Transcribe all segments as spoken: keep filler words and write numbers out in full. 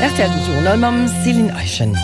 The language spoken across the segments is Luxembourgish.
R T L Journal mam Céline Eischen.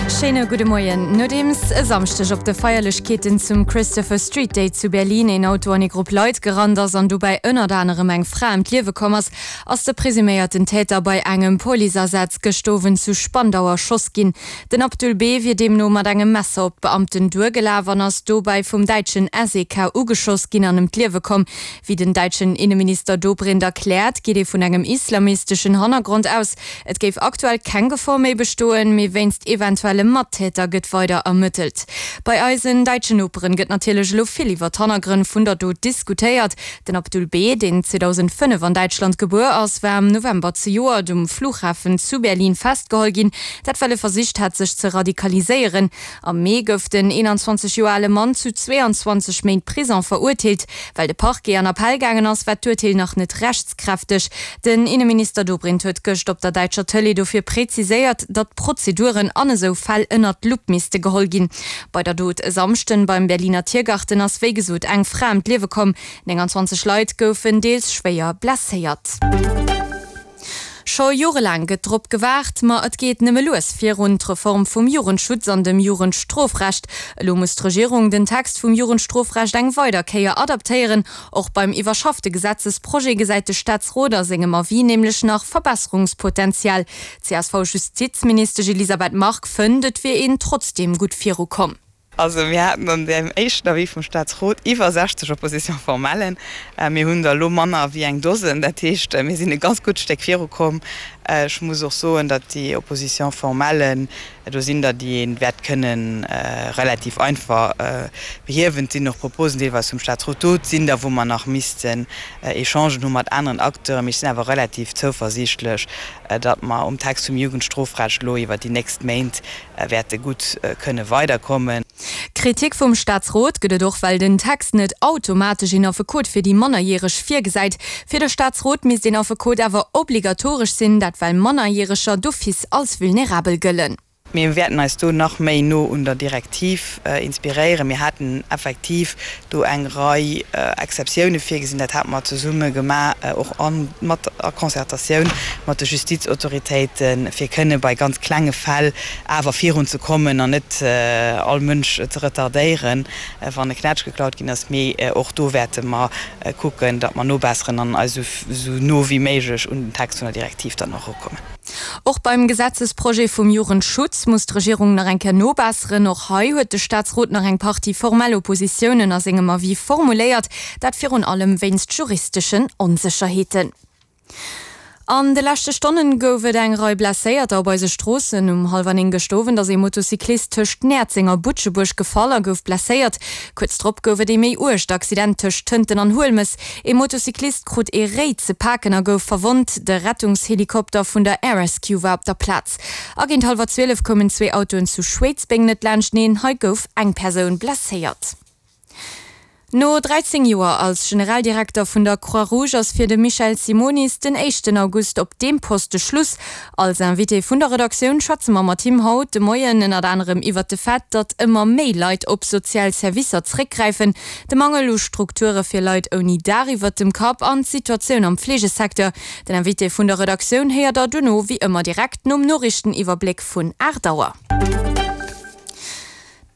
Schéine gudde Moien. Nodeems e Samschdeg op de Feierlechkeeten zum Christopher Street Day zu Berlin een Auto an ee Grupp Leit gerannt ass an dobäi ënnert anerem eng Fra ëm d'Liewe komm ass, ass de presuméierten Täter bei engem Policeasaz gëscht Owend zu Spandau erschoss ginn. Den Abdul B. wier deemno mat engem Messer op d'Beamten duergelaf an ass dobäi vum däitschen S E K ugeschoss ginn an ëm d'Liewe komm. Wéi den däitschen Inneminister Dobrindt erkläert, geet ee vun engem islamisteschen Hannergrond aus. Et géif aktuell keng Gefor méi bestoen, mee wéinst eventuelle Mattäter gëtt weider ermëttelt. Bei eisen däitschen Noperen gëtt natierlech elo vill iwwer d'Hannergrënn vun der Dot diskutéiert. Den Abdul B., deen zweedausendfënnef an Däitschland gebuer ass, war am November zejoert um Flughafen zu Berlin festgeholl ginn, dat well e versicht hat sech ze radikaliséieren. Am Mee gouf den eenanzwanzeg Joer ale Mann zu zweeanzwanzeg Méint Prison verurteelt. Well de Parquet an Appell gaangen ass, war d'Urteel nach net rechtskräfteg. Den Inneminister Dobrindt huet gëscht op der däitscher Tëlee dofir präziséiert, datt d'Prozeduren an esou Fäll ënnert d'Lupp misste geholl ginn. Bei der Dot e Samschden beim Berliner Tiergarten ass wéi gesot eng Fra ëm d'Liewe komm, nénganzwanzeg Leit goufen deels schwéier blesséiert. Scho jorelaang gëtt drop gewaart, ma et geet nëmme lues virun, d'Reform vum Jugendschutz an dem Jugendstrofrecht. Elo muss d'Regierung den Text vum Jugendstrofrecht eng weider Kéier adaptéieren. Och beim iwwerschaffte Gesetzesprojet gesäit de Staatsrot a sengem Avis nämlech nach Verbesserungspotenzial. D'C S V-Justizministesch Elisabeth Margue fënnt, et wier een trotzdeem gutt virukomm. Also mir haten an deem éischten Avis vum Staatsrot iwwer sechzeg Opposition-formellen. Mir hunn der elo manner wéi eng Dosen. Dat heescht, mir sinn e ganz gutt Stéck virukomm. Ech muss och soen, datt déi Opposition-formellen, do sinn der, déi ee wäert kënne relativ einfach behiewen. Et sinn och Proposen deelweis vum Staatsrot do. Et sinn der, wou mer nach missten Echangen hu mat aneren Acteuren. Mee ech sinn awer relativ zouversiichtlech, datt mer um Text vum Jugendstrofrecht elo iwwert déi nächst Méint wäerte gutt kënne weiderkommen. Kritik vum Staatsrot gëtt et och, well den Text net automatesch een Affekot fir déi Mannerjäreg virgesäit. Fir de Staatsrot misst een Affekot awer obligatoresch sinn, dat well Mannerjäreger d'office als vulnerabel gëllen. Mir wäerten eis do nach méi no un der Direktiv inspiréieren. Mir haten effektiv do eng Rei Exceptioune virgesinn. Dat hate mer zesumme gemaach, och a mat a Concertatioun mat de Justizautoritéiten, fir kënne bei ganz klenge Fäll awer virunzekommen an net all Mënsch ze retardéieren, wann e Knätsch geklaut ginn ass. Mee och do wäerte mer kucken, datt mer nobesseren an eis esou no wéi méiglech un den Text vun der Direktiv dann och erukommen. Och beim Gesetzesprojet vum Jugendschutz muss d'Regierung nach eng Kéier nobesseren. Och hei huet de Staatsrot nach eng Partie formell Oppositiounen a sengem Avis formuléiert, dat virun allem wéinst juristeschen Onsécherheeten. An de leschte Stonnen gouf et eng Rei Blesséierter op eise Stroossen. Um hallwer néng gëscht Owend ass ee Motocyclist tëscht Näerzeng a Butschebuerg gefall a gouf blesséiert. Kuerz drop gouf et ee méi uergt Accident tëscht Tënten an Huelmes. Ee Motocyclist krut ee Réi ze paken a gouf verwonnt. De Rettungshelikopter vun der Air Rescue war op der Plaz. A géint hallwer zwielef koumen zwee Autoen zu Schwéidsbeng net laanschteneen. Hei gouf eng Persoun blesséiert. No dräizéng Joer als Generaldirekter vun der Croix-Rouge ass fir de Michel Simonis den éischten August op deem Poste Schluss. Als Invité vun der Redaktioun schwätze mer mat him haut de Moien ënnert anerem iwwert de Fait, datt ëmmer méi Leit op sozial Servicer zréckgräifen, de Mangel u Strukture fir Leit ouni Daach iwwert dem Kapp an d'Situatioun am Fleegesecteur. Den Invité vun der Redaktioun héiert der dono wéi ëmmer direkt nom Noriichteniwwerbléck vun aacht Auer.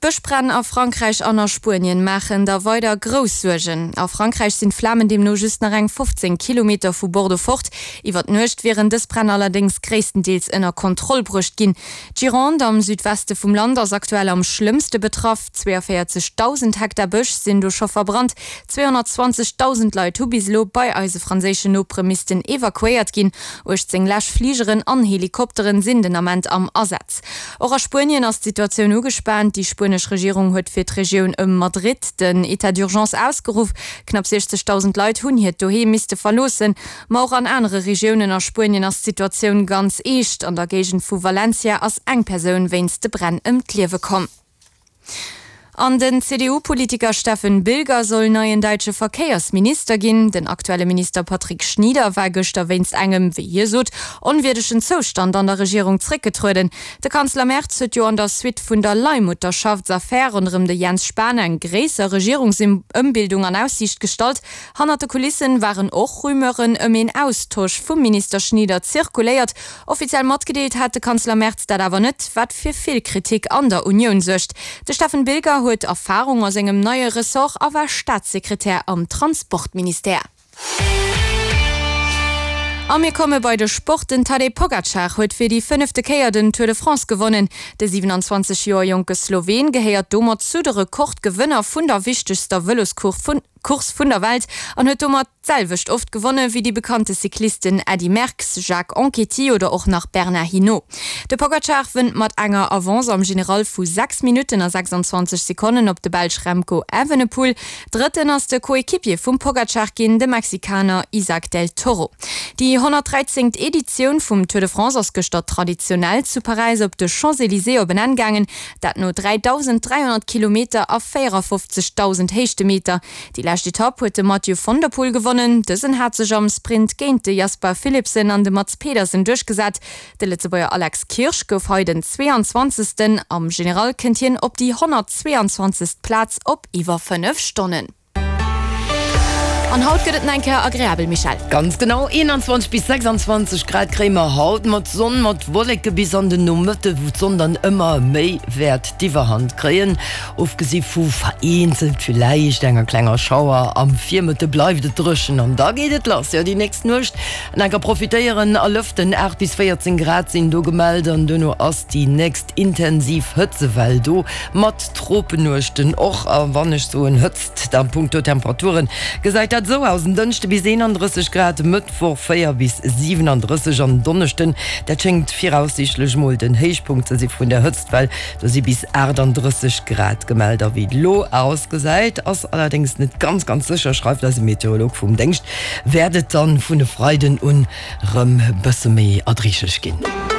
D'Bëschbränn a Frankräich an a Spuenien maachen der weider grouss Suergen. A Frankräich sinn d'Flamen deemno just nach eng fofzéng Kilometer vu Bordeaux fort. Iwwer d'Nuecht wieren dës Bränn allerdéngs gréisstendeels ënner Kontroll bruecht ginn. D'Gironde am Südweste vum Land ass aktuell am schlëmmste betraff. zweeënvéierzegdausend Hektar Bësch sinn do scho verbrannt. zweehonnertzwanzegdausend Leit hu bis elo bei eise franséischen Nopere missten evakuéiert ginn. uechtzéng Läschfligeren an Helikopteren sinn den Ament am Asaz. Och a Spuenien ass d'Situatioun ugespaant. Déi spuenesch Regierung huet fir d'Regioun ëm Madrid den Etat d'urgence ausgeruff. Knapp siechzegdausend Leit hunn hiert Doheem misste verloossen. Ma och an anere Regiounen a Spuenien ass d'Situatioun ganz eescht. An der Géigend vu Valencia ass eng Persoun wéinst de Bränn ëm d'Liewe komm. An den C D U-Politiker Steffen Bilger soll neien däitsche Verkéiersminister ginn. Den aktuelle Minister Patrick Schnieder war gëschter wéinst engem, wéi hie sot, onwierdegen Zoustand an der Regierung zréckgetrueden. De Kanzler Merz huet jo an der Suite vun der Leihmutterschaftsaffär ronderëm de Jens Spahn eng gréisser Regierungsëmbildung an Aussiicht gestallt. Hannert de Kulissen waren och Rumeuren ëm een Austosch vum Minister Schnieder zirkuléiert. Offiziell matgedeelt hat de Kanzler Merz dat awer net, wat fir vill Kritik an der Unioun suergt. De Steffen Bilger huet Erfarung a sengem neie Ressort a war Staatssekretär am Transportministère. A mir komme bei de Sport. Den Tadej Pogacar huet fir déi fënnefte Kéier den Tour de France gewonnen. De siewenanzwanzeg Joer jonke Sloween gehéiert domat zu de Rekordgewënner vun der wichtegster Vëloscourse vun Course vun der Welt an huet domat d'selwecht oft gewonne wéi déi bekannte Cyclisten Eddy Merckx, Jacques Anquetil oder och nach Bernard Hinault. De Pogacar wënnt mat enger Avance am General vu sechs Minutten a sechsanzwanzeg Sekonnen op de Belsch Remco Evenepoel. Drëtten ass de Coéquipier vum Pogacar ginn, de Mexikaner Isaac del Toro. Déi honnertdräizéngt Editioun vum Tour de France ass gëschter traditionell zu Paräis op de Champs-Élysées op en Enn gaangen, dat no dräidausend dräihonnert Kilometer a véierafofzegdausend Héichtemeter. Déi lescht Etapp huet de Mathieu van der Poel gewonnen. Dësen hat sech am Sprint géint de Jasper Philipsen an de Mads Pedersen duerchgesat. De Lëtzebuerger Alex Kirsch gouf hei den zweeanzwanzegsten. Am General kënnt hien op déi honnertzweeanzwanzegst Plaz op iwwer fënnef Stonnen. An haut gëtt et nach eng Kéier agreabel, Michèle. Ganz genau, eenanzwanzeg bis sechsanzwanzeg Grad kréie mer haut, mat Sonn, mat Wolleke bis an den Nomëtte, wou d'Sonn dann ëmmer méi wäert d'Iwwerhand kréien. Ofgesi vu vereenzelt villäicht enger klenger Schauer am Virmëtte bleift et dréchen an da geet et lass. Jo, déi nächst Nuecht an enker profitéieren a lëften, aacht bis véierzéng Grad sinn do gemellt an duerno ass déi nächst intensiv Hëtzewell do, mat Tropennuechten och. A wann ech soen Hëtzt, da punkto Temperaturen gesäit dat esou aus, en Dënschde bis eenandrësseg Grad, Mëttwoch véier bis siwenandrësseg an Donneschden, dat schéngt viraussiichtlech mol den Héichpunkt ze si vun der Hëtztwell, do si bis aachtanddrësseg Grad gemellt. A wéi et elo ausgesäit, ass allerdéngs net ganz ganz sécher, schreift eise Meteorolog vum Déngscht, wäert et dann vun e Freiden un rëm bësse méi erdreeglech ginn.